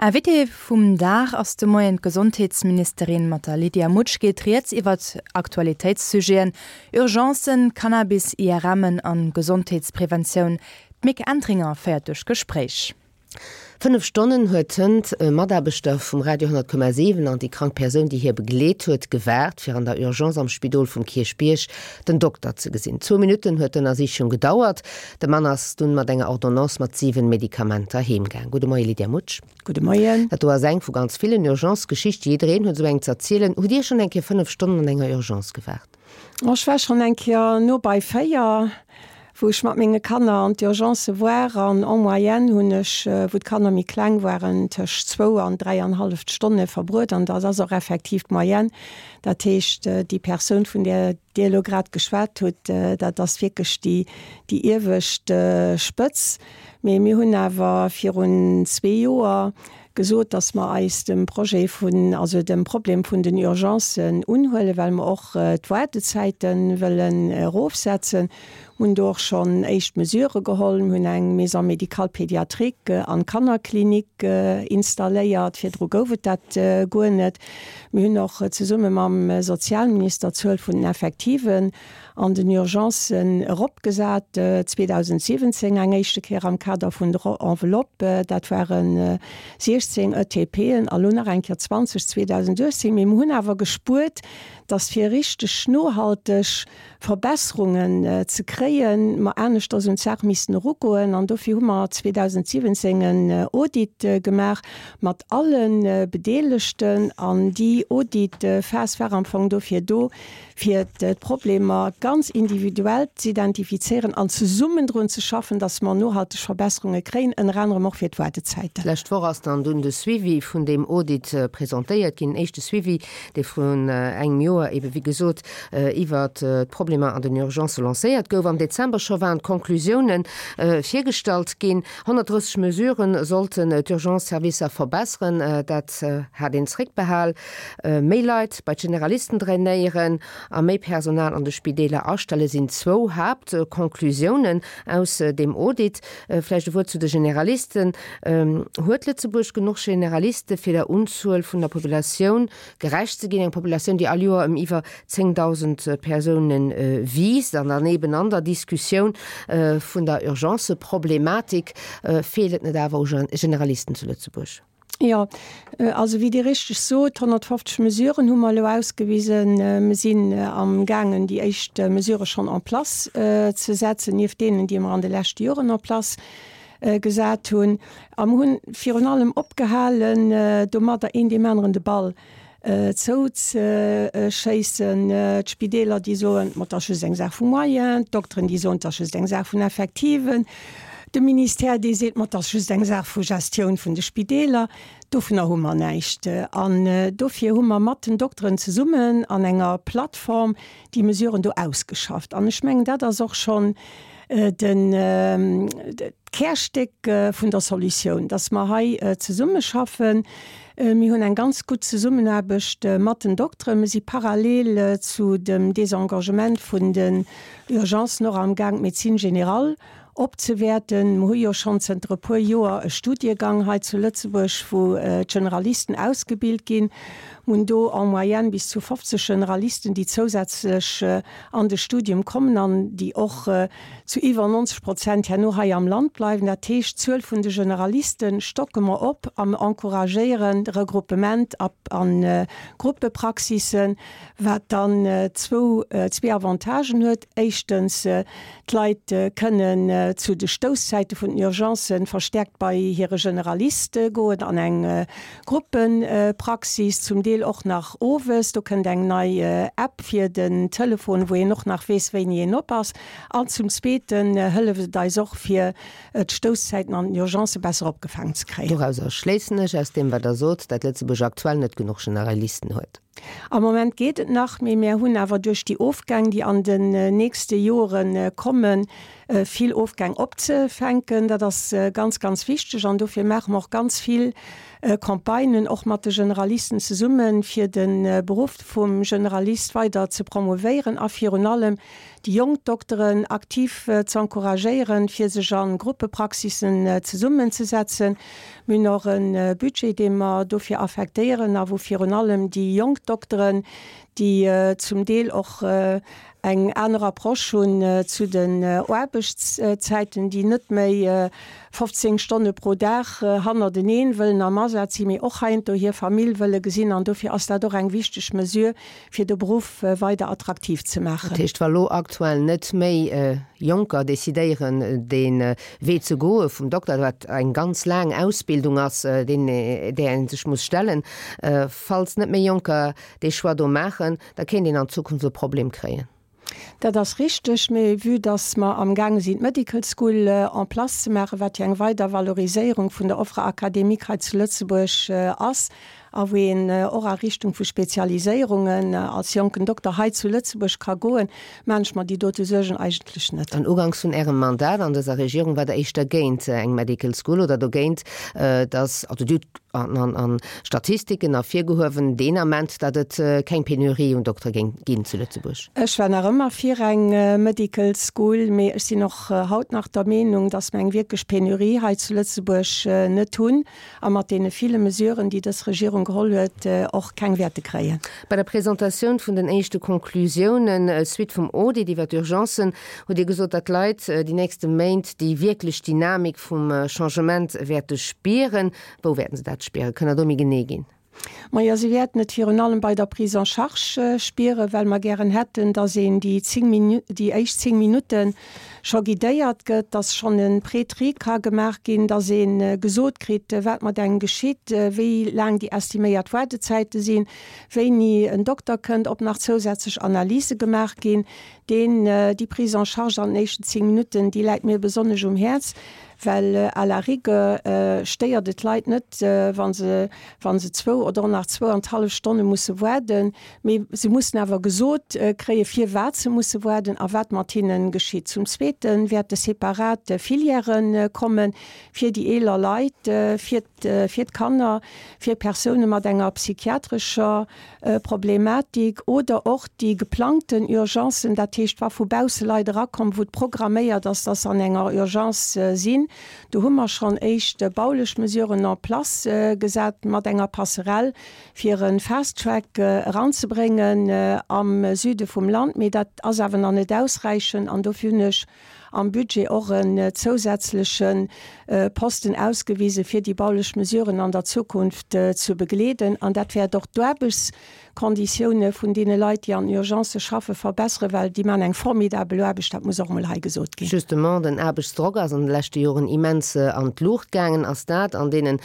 Invitée vum Dag ass de Moien d'Gesondheetsministerin. Mat der Lydia Mutsch geet rieds iwwert Aktualitéitssujeten, Urgencen, Cannabis, IRMen an Gesondheetspreventioun. D'Mick Entringer féiert duerch d'Gespréich. 5 Stonnen huet hënt e Mataarbechter vum Radio 10,7 an déi krank Persoun, déi hie begleet huet, gewaart, fir an der Urgence am Spidol vum Kierchbierg den Dokter ze gesinn. Zwou Minutten huet d'Ënnersichung gedauert. De Mann ass dunn mat enger Ordonnance mat 7 Medikamenter heemgaang. Gudde Moie Lydia Mutsch. Gudde Moien. Dat do ass eng vu ganz villen Urgence-Geschichte. Jiddereen huet esou eng z'erzielen. Hutt Dir schonn eng Kéier 5 Stonnen an enger Urgence gewaart? Ech war schonn eng Kéier no bei 4, wou ech mat menge Kanner an d'Urgence war an en moyenne hunn ech, wou d'Kanner méi kleng waren, tëscht zwou an dräianhalleft Stonne verbruet an dat ass och effektiv d'Moyenne. Dat heescht, déi Persoun, vun där Dir elo grad geschwat hutt, dat ass wierklech déi, déi iewescht Spëtz. Mee mir hunn awer virun zwee Joer gesot, dass mer eis dem Projet vun, also dem Problem vun den Urgencen unhuelen, well mer och d'Waardezäite wëllen erofsetzen. Mir hunn do och schonn éischt Mesurë geholl. Mir hunn eng Maison médicale pédiatrique an Kannerklinik installéiert. Virdru gouf et dat guer net. Mir hunn och zesumme mam Sozialminister d'Zuel vun den Effektiven an den Urgencen eropgesat, 2017 eng éischte Kéier am Kader vun der Enveloppe, dat ware 16 ETPen, a lo nach eng Kéier 20 2018. Mee mir hunn awer gespuert, datt fir richteg nohalteg Verbesserungen ze kréien, mer aneschters un d'Saach missten erugoen. An dofir hu mer 2017 en Audit gemaach mat alle Bedeelegten. An déi Auditphas war am Fong dofir do, fir d'Problemer ganz individuell z'identifizéieren an zesummen drun ze schaffen, dass mer nohalteg Verbesserunge kréien, ënner anerem och fir d'Waardezäiten. D'lescht Woch ass dann dunn de Suivi vun deem Audit presentéiert ginn, en éischte Suivi, dee vrun engem Joer ebe wéi gesot iwwert d'Problemer an den Urgencë lancéiert gouf. Am Dezember scho waren d'Conclusiounen virgestallt ginn. 130 Mesurë sollten d'Urgence-Servicer verbesseren, dat hat een zréckbehal. Méi Leit bei d'Generalisten drainéieren a méi Personal an de Spideeler astelle sinn zwou Haaptconclusiounen aus deem Audit. Vläicht e Wuert zu de Generalisten. Huet Lëtzebuerg genuch Generaliste fir der Unzuel vun der Populatioun gerecht ze ginn? Eng Populatioun, déi all Joer ëm iwwer 10.000 Persoune wiisst. An dann eben an der Diskussioun vun der Urgenceproblematik, feelt et net awer u Generalisten zu Lëtzebuerg? Jo, also wéi Dir richteg sot, 150 Mesuren hu mer elo ausgewisen. Mir sinn am gaangen, déi éischt Mesurë schonn en place ze setzen, nieft deenen, déi mer an de leschte Joren en place gesat hunn. A mer hunn virun allem opgehalen, domadder een deem aneren de Ball zouzeschéissen. D'Spideeler, déi soen, ma 't ass just eng Saach vu Moyens, d'Dokteren, déi soen, 't ass just eng Saach vun Effektiven, de Ministère, dee seet, ma 't ass just eng Saach vu Gestioun vun de Spideeler. Dovunner hu mer näischt. An dofir hu mer mat den Dokteren zesummen an enger Plattform déi Mesuren do ausgeschafft. An ech mengen, dat ass och schonn den, d'Kärstéck vun der Solutioun, dass mer hei zesummeschaffen. Mir hunn eng ganz gutt Zesummenaarbecht mat den Dokteren. Mir si parallel zu dem Désengagement vun den Urgencen och amgaang, d'Médecine générale opzewäerten. Mer hu jo schonn zënter e puer Joer e Studiegang hei zu Lëtzebuerg, wou d'Generalisten ausgebilt ginn. Mer hunn do en moyenne bis zu 50 Generalisten, déi zousätzlech an de Studium kommen an déi och zu iwwer 90 Prozent herno hei am Land bleiwen. Dat heescht, d'Zuel vun de Generaliste stocke mer op a mer encouragéieren de Regruppement a Gruppepraxissen, wat dann zwou, zwee Avantagen huet. Éischtens, d'Leit kënnen zu de Stousszäite vun den Urgencen verstärkt bei hire Generalist goen an eng Gruppepraxis, zum Deel och nach owes. Do kënnt eng nei App fir den Telefon, wou een och nach weess, wéini een op ass. An zum Zweeten hëlleft et eis och, fir d'Stousszäiten an den Urgencë besser opgefaangen ze kréien. Dorauser schléissen ech, aus deem wat Der sot, dat Lëtzebuerg aktuell net genuch Generalisten huet. Am Moment geet et nach, mee mär hunn awer duerch déi Ofgäng, déi an den nächste Jore kommen, vill Ofgäng opzefänken. Dat ass ganz, ganz wichteg an dofir maache mer och ganz vill Campagnen, och mat de Generalisten zesummen, fir de Beruff vum Generalist weider ze promouvéieren a virun allem. déi jonk Dokteren aktiv ze encouragéieren, fir sech a Gruppepraxissen zesummenzesetzen. Mir hunn och e Budget, dee mer dofir affektéieren a wou virun allem déi jonk Dokteren, déi zum Deel och eng aner Approche hunn zu den Aarbechtszäiten, déi net méi 15 Stonne pro Dag hannerteneen wëllen am Asaz sinn, mee och heiansdo hir Famill wëlle gesinn. An dofir ass dat och eng wichteg Mesure, fir de Beruff weider attraktiv ze maachen. Dat heescht, wa lo aktuell net méi Jonker decidéieren, dee Wee ze goe vum Dokter, wat eng ganz laang Ausbildung ass, deen, där ee sech muss stellen, falls net méi Jonker dee Choix do maachen, da kéint een an Zukunft e Problem kréien. Dat ass richteg, mee vue dass mer amgaange sinn d'Medical School en place ze maachen, wat jo eng weider Valoriséierung vun der Offre académique hei zu Lëtzebuerg ass a wou een och a Richtung vu Spezialiséierungen als jonken Dokter hei zu Lëtzebuerg ka goen, maachen ech mer déi dote Suergen eigentlech net. An uganks vun Ärem Mandat an dëser Regierung war Der éischter géint eng Medical School oder dogéint, dass, also Dir hutt an Statistiken ervirgehuewen deen Ament, datt et keng Penurie un Doktere géing ginn zu Lëtzebuerg. Ech war nach ëmmer fir eng Medical School, mee ech sinn och haut nach der Meenung, datt mer eng wierklech Penurie hei zu Lëtzebuerg net hunn a mat deene ville Mesuren, déi dës Regierung geholl huet, och keng wäerte kréien. Bei der Presentatioun vun den éischte Conclusiounen, Suite vum Audit iwwer d'Urgencen, hutt Dir gesot, datt d'Leit déi nächste Méint déi wierklech Dynamik vum Changement wäerte spieren. Wou wäerten se dat spieren? Kënnt Der do méi genee ginn? Majo, se wäerten et virun allem bei der Prise en charge spieren, well mer gären hätten, dass een déi 10 Minu-, déi éischt 10 Minutte scho guidéiert gëtt, dass schonn e Pré-tri ka gemaach ginn, dass ee gesot kritt, wat mat engem geschitt, wéi laang déi estiméiert Waartezäite sinn, wéini en Dokter kënnt, ob nach zousätzlech Analyse gemaach ginn. Deen, déi Prise en charge an den éischten 10 Minutten, déi läit mir besonnesch um Häerz, well à la rigueur stéiert et d'Leit net, wa se, wa se zwou oder och nach zwou an d'hallef Stonne musse waarden, mee se mussen awer gesot kréien, firwat se musse waarden a wat mat hinne geschitt. Zum Zweete wäerte separat Filièrë komme fir déi eeler Leit, fir, fir d'Kanner, fir Persoune mat enger psychiatrescher Problematik oder och déi geplangten Urgencen, dat heescht wa vu bausse Leit erakommen, wou et programméiert ass, dass se an enger Urgence sinn. Do hu mer schonn éischt baulech Mesuren en place gesat mat enger Passerelle, fir e Fast Track eranzebréngen am Süde vum Land. Mee dat ass awer nach net ausräichend an dofir hunn ech am Budget och en zousätzleche Posten ausgewise fir déi baulech Mesuren an der Zukunft ze begleeden. An dat wäert och d'Aarbechtskonditioune vun deene Leit, déi an Urgencë schaffe, verbesseren, well déi maachen eng formidabel Aarbecht, dat muss och emol hei gesot ginn. Justement, den Aarbechtsdrock ass an de leschte Joren immens an d'Luucht gaangen. Ass dat an deenen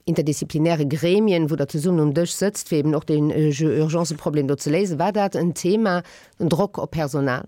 interdisziplinäre Gremien, wou Der zesummen um Dësch sëtzt, fir eben och deen Urgenceproblem do ze léisen, war dat en Thema, den Drock op Personal?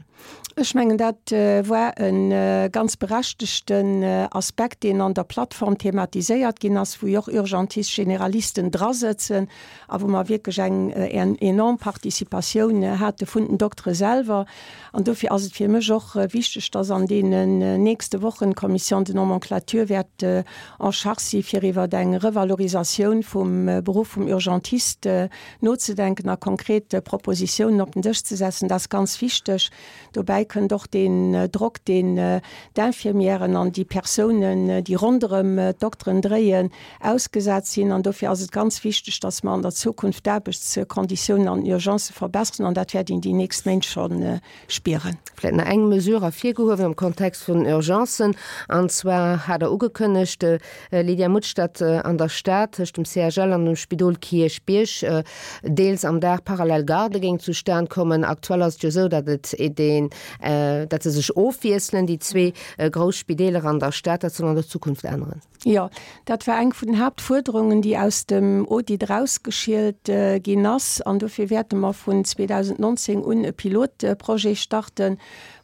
Ech mengen, dat war e ganz berechtegten Aspekt, deen an der Plattform thematiséiert ginn ass, wou jo och Urgentistes, Generalisten drasëtzen a wou mer wierklech eng enorm Participatioun hate vun den Doktere selwer. An dofir ass et fir mech och wichteg, dass an deenen nächste Wochen d'Commission de nomenclature wäert en charge si fir iwwer eng Revalorisatioun vum Beruff vum Urgentiste nozedenken a konkret Propositiounen op den Dësch ze setzen, dat ass ganz wichteg. Dobäi kënnt och deen Drock, deen d'Infirmièren an déi Persounen, déi ronderëm d'Dokteren dréien, ausgesat sinn. An dofir ass et ganz wichteg, dass mer an der Zukunft d'Aarbechtskonditiounen an den Urgencë verbesseren. An dat wäert een déi nächst Méint scho spieren. Vläicht nach eng Mesure ervirgehuewen am Kontext vun den Urgencen, an zwar hat Der ugekënnegt, Lydia Mutsch, datt an der Stad tëscht dem CHL an dem Spidol Kierchbierg deels am Dag parallel Gardë géing zustan kommen. Aktuell ass et jo esou, datt et deen, datt se sech ofwiesselen, déi zwee grouss Spideeler an der Stad. Dat soll an der Zukunft änneren. Jo, dat war eng vun den Haaptfuerderungen, déi aus dem Audit erausgeschielt ginn ass. An dofir wäerte mer vun 2019 un e Pilotprojet starten.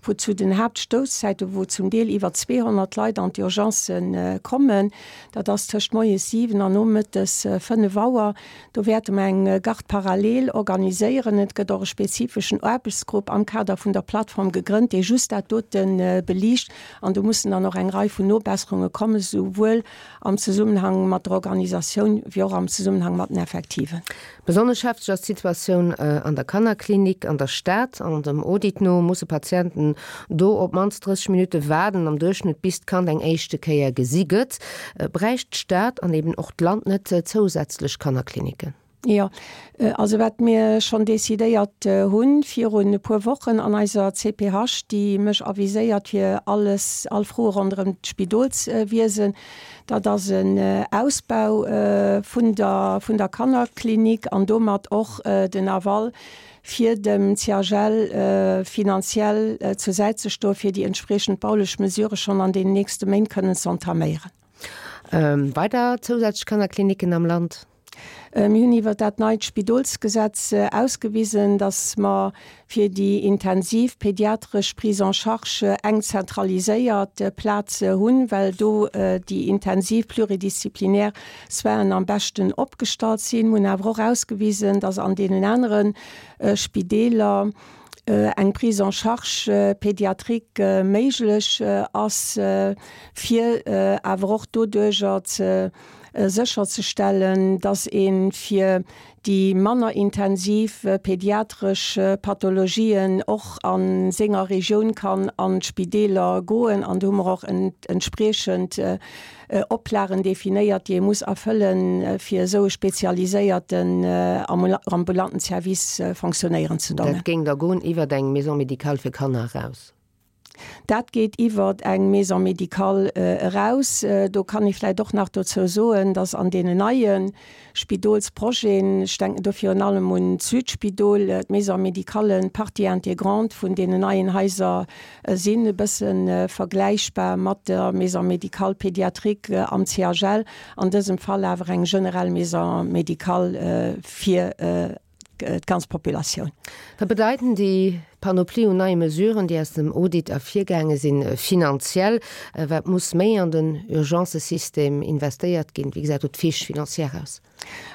Wou zu den Haaptstousszäiten, wou zum Deel iwwer 200 Leit an d'Urgencë kommen, dat ass tëscht moies 7 an nomëttes 5 Auer, do wäerte mer eng Garde parallèle organiséieren. Et gëtt och e spezifeschen Aarbechtsgrupp am Kader vun der Plattform gegrënnt, dee just dat dote beliicht. An do mussen dann och eng Rei vun Nobesserunge kommen, souwuel am Zesummenhang mat der Organisatioun wéi och am Zesummenhang mat den Effektiven. Besonnesch hefteg ass d'Situatioun an der Kannerklinik an der Stad. An dem Audit no musse Patienten do op d'mannst 30 Minutte waarden am Duerchschnëtt, bis d'Kand eng éischte Kéier gesi gëtt. Bräicht d'Stad an eben och d'Land net zousätzlech Kannerkliniken? Jo, also wat mir schonn decidéiert hunn virun e puer Wochen an eiser CPH, déi mech aviséiert fir alles, all Froe ronderëm d'Spidolswiesen, Dat ass en Ausbau vun der vun der Kannerklinik an domat och den Aval fir dem CHL finanziell zur Säit ze stoen, fir déi entspriechend baulech Mesurë schonn an deenen nächste Méint kënnen ze entaméieren. Weider zousätzlech Kannerkliniken am Land? Mir hunn iwwert dat neit Spidolsgesetz ausgewisen, dass mer fir déi intensiv pediatresch Prise en charge eng zentraliséiert Plaz hunn, well do déi intensiv pluridisziplinär Soinen am beschten opgestallt sinn. Mir hunn awer och ausgewisen, dass an deenen anere Spideeler eng Prise en charge pédiatrique méiglech ass, fir awer och doduerjer ze sécherzestellen, dass ee fir déi manner intensiv pediatresch Pathologien och a senger Regioun kann an d'Spideeler goen. An do hu mer och entspriechend Oplagen definéiert, déi ee muss erfëllen, fir esou e spezialiséierten ambulanten Service fonctionnéieren ze doen. Dat géing da goen iwwert eng Maison médicale fir Kanner eraus? Dat geet iwwer eng Maison médicale eraus. Do kann ee vläicht och nach dozou soen, dass an deenen neie Spidolsprojeten, ech denken do virun allem un d'Südspidol, d'Maison médicale Partie intégrante vun deenen neien Haiser sinn, e bësse vergläichbar mat der Maison médicale pédiatrique am CHL, an dësem Fall awer eng generell Maison médicale fir d'ganz Populatioun. Wat bedeiten déi Panoplie un neie Mesuren, déi aus dem Audit ervirgaange sinn, finanziell? Wat muss méi an den Urgencesystem investéiert ginn? Wéi gesäit do d'Fiche financière aus?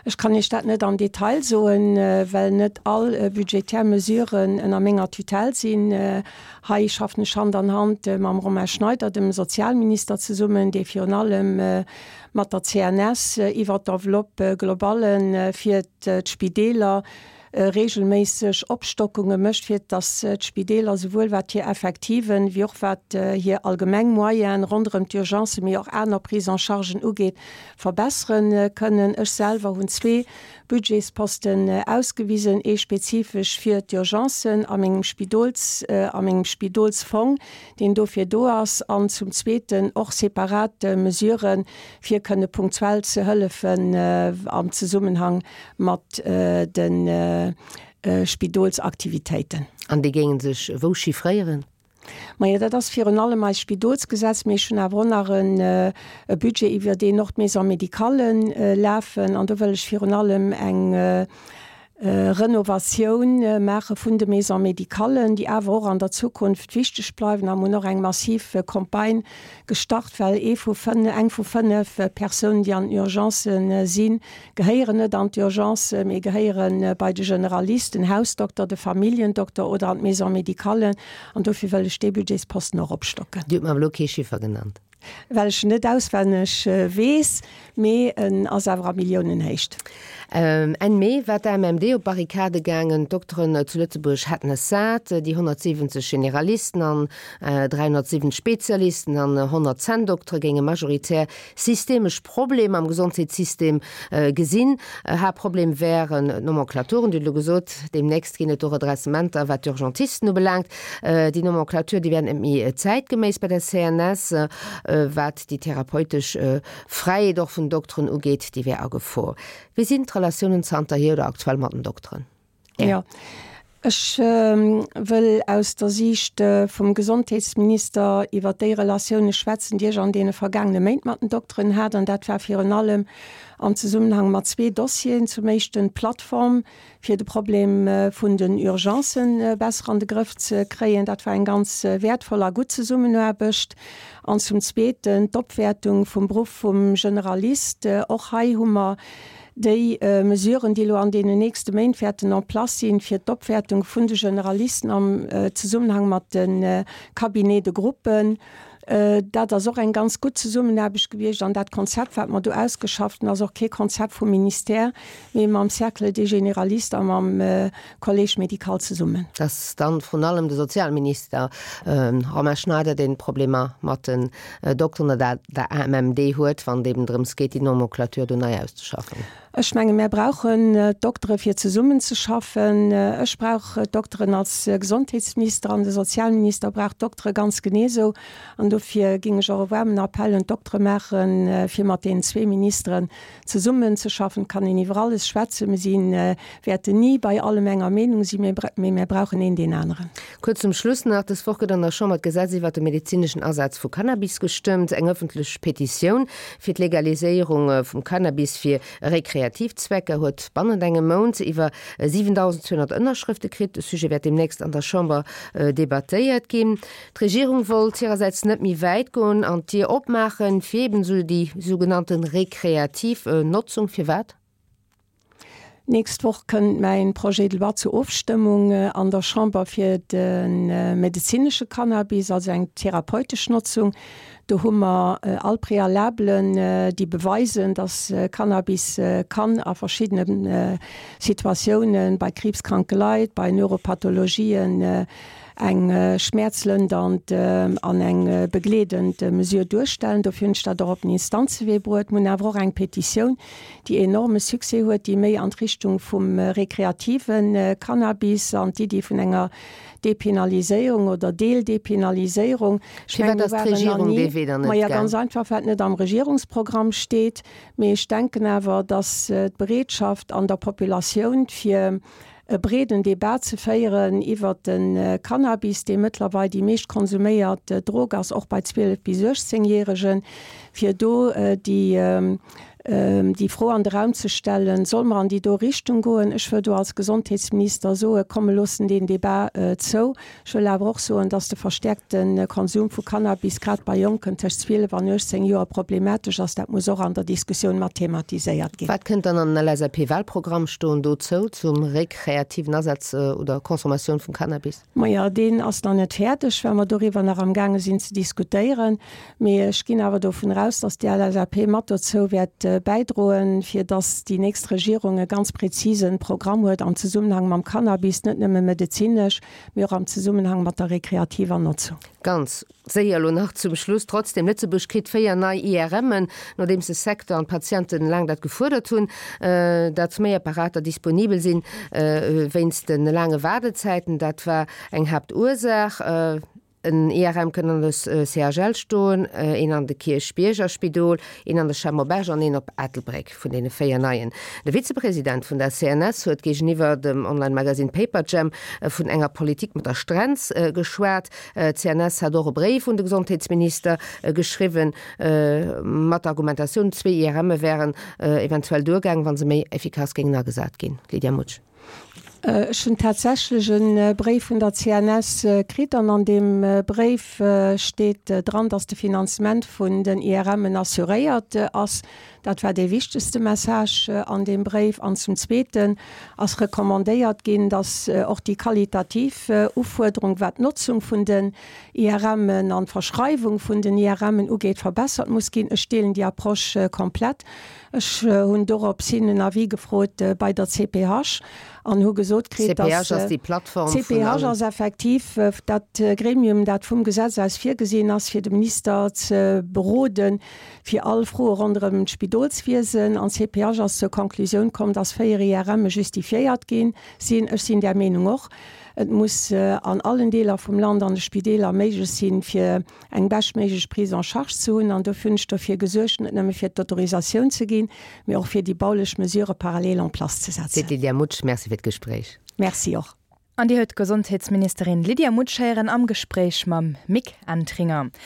Ech kann Iech dat net am Detail soen, well net all budgetär Mesuren ënner menger Tutelle sinn. Hei schaffen ech Hand an Hand mam Romain Schneider, dem Sozialminister, zesummen, dee virun allem mat der CNS iwwert d'Enveloppe globale fir d'Spideeler reegelméisseg Opstockunge mécht, fir datt d'Spideeler souwuel wat hir Effektiven, wéi och wat hir allgemeng Moyene ronderëm d'Urgencen, mee och aner Prise-en-chargen ugeet, verbessere kënnen. Ech selwer hunn zwee Budgetsposten ausgewisen, ee spezifesch fir d'Urgencen a mengem Spidols, a mengem Spidolsfong, deen dofir do ass, an zum Zweeten och separat Mesuren, fir kënne punktuell ze hëllefen am Zesummenhang mat de Spidolsaktivitéiten. An déi géinge sech wou chiffréieren? Majo, dat ass virun allem eist Spidolsgesetz, mee ech hunn awer och nach e Budget, iwwer deen och d'Maisons médicales lafen. An do wëll ech virun allem eng Renovatioun maache vun de Maisons médicales, déi awer och an der Zukunft wichteg bleiwen. A mir hunn och eng massiv Campagne gestart, well ee vu eng vu 5 Persounen, déi an den Urgencë sinn, gehéieren net an d'Urgence, mee gehéiere bei de Generalist, den Hausdokter, de Familljendokter oder an d'Maison médicale. An dofir wëll ech dee Budgetsposten och opstocken. Dir hutt mer awer elo kee Chiffer genannt. Well ech en net auswenneg weess, mee en ass awer a Milliounenhéicht. Enn Mee war d'AMMD op d'Barrikade gaangen. D'Dokteren zu Lëtzebuerg hätten es sat. Déi 170 Generalisten an 370 Spezialisten an 100 Zänndoktere géinge majoritär systemesch Problemer am Gesondheetssystem gesinn. Haaptproblem wären d'Nomenclaturen. Dir hutt elo gesot, deemnächst ginn et do Redressementer, wat d'Urgentisten ubelaangt. Déi Nomenclature, déi wär net méi zäitgeméiss bei der CNS. Wat déi therapeutesch Fräiheet och vun Dokteren ugeet, déi wär a Gefor. Wéi sinn d'Relatiounen zanterhier oder aktuell mat den Dokteren? Jo. Ech wëll aus der Siicht vum Gesondheetsminister iwwert déi Relatioune schwätzen, déi ech an deene vergaangene Méint mat den Dokteren hat. An dat war virun allem am Zesummenhang mat zwee Dossieren. Zum éischten d'Plattform, fir de Problem vun den Urgencen besser an de Grëff ze kréien. Dat war eng ganz wäertvoll a gutt Zesummenaarbecht. An zum Zweeten d'Opwäertung vum Beruff vum Generalist. Och hei hu mer Déi Mesuren, déi elo an deenen nächste Méint wäerten en place sinn, fir d'Opwäertung vun de Generalisten am Zesummenhang mat de Cabinets de groupe, dat ass och eng ganz gutt Zesummenaarbecht gewiescht. An dat Konzept, wat mer do ausgeschafft hunn, ass och kee Konzept vum Ministère, mee mam Cercle des généralistes a mam Collège médical zesummen. Et ass dann vrun allem de Sozialminister Romain Schneider, deen Problemer mat den Dokteren oder der AMMD huet, wann et eben drëms geet, déi Nomenclature do nei auszeschaffen. Ech menge mär brauchen d'Doktere fir zesummenzeschaffen. Ech brauch d'Dokteren als Gesondheetsminister an de Sozialminister brauch d'Doktere ganz genee esou. An dofir géing ech och e waarmen Appell un d'Doktere maachen, fir mat deenen zwee Ministeren Zesummen ze schaffen kann een iwwer alles schwätzen. Mir si wäerten ni bei allem enger Meenung sinn, mee mär brauchen een deen aneren. Kuerz zum Schluss nach, Dës Woch gëtt an der Chamber d'Gesetz iwwert de medezineschen Asaz vu Cannabis gestëmmt. Eng ëffentlech Petitioun fir d'Legaliséierung vum Cannabis fir rekreativ Zwecker huet bannent engem Mount iwwer 7.200 Ënnerschrëfte kritt. De Sujet wäert deemnächst an der Chamber debattéiert ginn. D'Regierung wollt hirersäits net méi wäit goen an d'Dier opmaachen fir eben esou déi sougenannte rekreativ Notzung. Firwat? D'nächst Woch kënnt mäin Projet de loi zur Ofstëmmung an der Chamber fir de medezinesche Cannabis, also eng therapeutesch Notzung. Do hu mer all Prealabelen, déi beweisen, dass Cannabis kann a verschiddene Situatiounen, bei kriibskranke Leit, bei Neuropathologien, eng schmäerzlëndernd an eng begleedend Mesure duerstellen. Dofir hunn ech dat och op den Instanzewee bruet. Mir hunn awer och eng Petitioun, déi enorme Succès huet, déi méi an d'Richtung vum rekreative Cannabis an d'Iddi vun enger Depenaliséierung oder Deeldepenaliséierung. Ech mengen, mir Firwat ass waren nach d'Regierung ni, dee Wee dann net maja, gaang? ganz einfach, well et net am Regierungsprogramm steet. Mee ech denken awer, datt d'Bereetschaft an der Populatioun, fir e breeden Debat ze féieren iwwert de Cannabis, dee mëttlerweil déi meescht konsuméiert Drog ass, och bei 12 bis 18 Järegen, fir do déi déi Fro an de Raum ze stellen, Solle mer an déi do Richtung goen? Ech wëll do als Gesondheetsminister soen, Komm, mir loossen deen Debat zou. Ech wëll awer och soen, dass de verstäerkte Konsum vu Cannabis grad bei Jonken tëscht 12 an 18 Joer problematesch ass. Dat muss och an der Diskussioun mat thematiséiert ginn. Wat kënnt dann an den LSAP-Wahlprogramm stoen dozou, zum rekreativen Asaz oder Consommatioun vum Cannabis? Majo, deen ass nach net fäerdeg, well mer doriwwer nach amgaange sinn ze diskutéieren. Mee ech ginn awer dovun aus, dass déi LSAP mat dozou wäert bäidroen, fir dass déi nächst Regierung e ganz präzisen Programm huet am Zesummenhang mam Cannabis, net nëmme medezinesch, mee och am Zesummenhang mat der rekreativer Notzung. Ganz séier elo nach zum Schluss trotzdem, Lëtzebuerg kritt 4 nei IRMen, nodeems de Secteur an d'Patienten laang dat gefuerdert hunn, datt méi Apparater disponibel sinn wéinst de laange Waardezäiten. Dat war eng Haaptursaach. En IRM kënnt an de CHL stoen, een an de Kierchbierger Spidol, een an de CHEM op Esch an een op Ettelbréck, vun deene 4 neien. De Vizepresident vun der CNS huet géigeniwwer dem Online-Magasinn Paperjam vun enger Politik mat der Strenz geschwat. D'CNS hat och e Bréif un de Gesondheetsminister geschriwwen, mat der Argumentatioun, zwee IRMe wären eventuell duergaang, wa se méi effikass géingen agesat ginn. Lydia Mutsch. Ech hunn tatsächlech e Bréif vun der CNS kritt an an deem Bréif steet dran, dass de Finanzement vun den IRMen assuréiert ass. Dat war dee wichtegste Message an deem Bréif. An zum Zweeten ass recommandéiert ginn, dass och déi qualitativ Ufuerderung, wat d'Notzung vun den IRMen an d'Verschreiwung vun den IRMen ugeet, verbessert muss ginn. Ech deelen déi Approche komplett. Ech hunn dorops hin en Avis gefrot bei der CPH an hu gesot kritt, dass. CPH ass déi Plattform vun allen. CPH ass effektiv dat Gremium, dat vum Gesetz aus virgesinn ass, fir de Minister ze beroden, fir all Froe ronderëm d'Spidolswiesen. An d'CPH ass zur Konklusioun komm, dass 4 IRMe justifiéiert gi sinn. Ech sinn där Meenung och. Et muss an allen Deeler vum Land an de Spideeler méiglech sinn, fir eng beschtméiglech Prise en charge ze hunn an dofir hunn ech dofir gesuergt, net nëmme fir d'Autorisatioun ze ginn, mee och fir déi baulech Mesurë parallel en place ze setzen. Seet d'Lydia Mutsch. Merci fir d'Gespréich. Merci och. An Dir huet d'Gesondheetsministerin Lydia Mutsch héieren am Gespréich mam Mick Entringer.